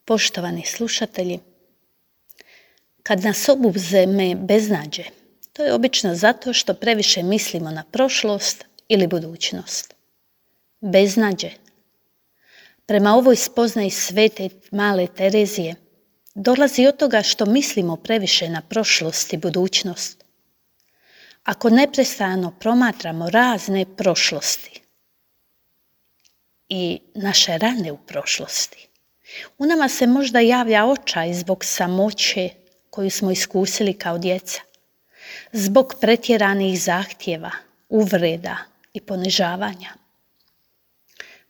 Poštovani slušatelji, kad nas obuzme beznađe, to je obično zato što previše mislimo na prošlost ili budućnost. Beznađe, prema ovoj spoznaji svete male Terezije, dolazi od toga što mislimo previše na prošlost i budućnost. Ako neprestano promatramo razne prošlosti i naše rane u prošlosti, u nama se možda javlja očaj zbog samoće koju smo iskusili kao djeca, zbog pretjeranih zahtjeva, uvreda i ponižavanja.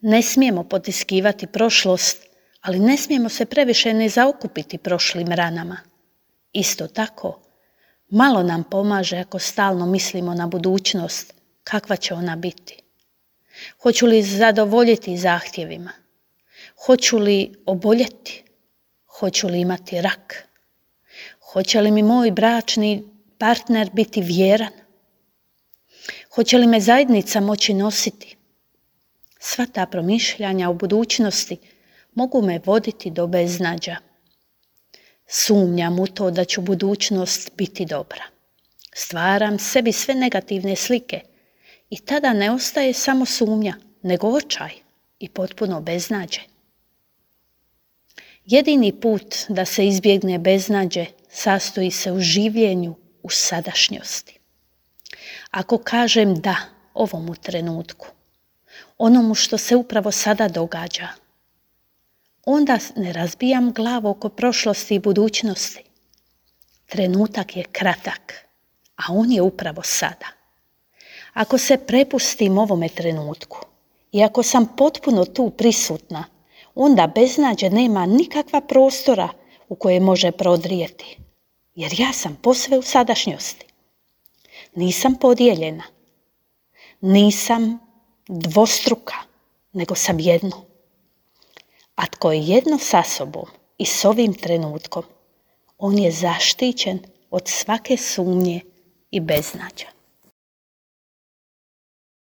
Ne smijemo potiskivati prošlost, ali ne smijemo se previše ne zaokupiti prošlim ranama. Isto tako, malo nam pomaže ako stalno mislimo na budućnost, kakva će ona biti. Hoću li zadovoljiti zahtjevima? Hoću li oboljeti? Hoću li imati rak? Hoće li mi moj bračni partner biti vjeran? Hoće li me zajednica moći nositi? Sva ta promišljanja o budućnosti mogu me voditi do beznađa. Sumnjam u to da će budućnost biti dobra. Stvaram sebi sve negativne slike i tada ne ostaje samo sumnja, nego očaj i potpuno beznađe. Jedini put da se izbjegne beznađe sastoji se u življenju u sadašnjosti. Ako kažem da ovomu trenutku, onomu što se upravo sada događa, onda ne razbijam glavu oko prošlosti i budućnosti. Trenutak je kratak, a on je upravo sada. Ako se prepustim ovome trenutku i ako sam potpuno tu prisutna, onda beznađe nema nikakva prostora u koje može prodrijeti, jer ja sam posve u sadašnjosti. Nisam podijeljena, nisam dvostruka, nego sam jedno. A tko je jedno sa sobom i s ovim trenutkom, on je zaštićen od svake sumnje i beznađa.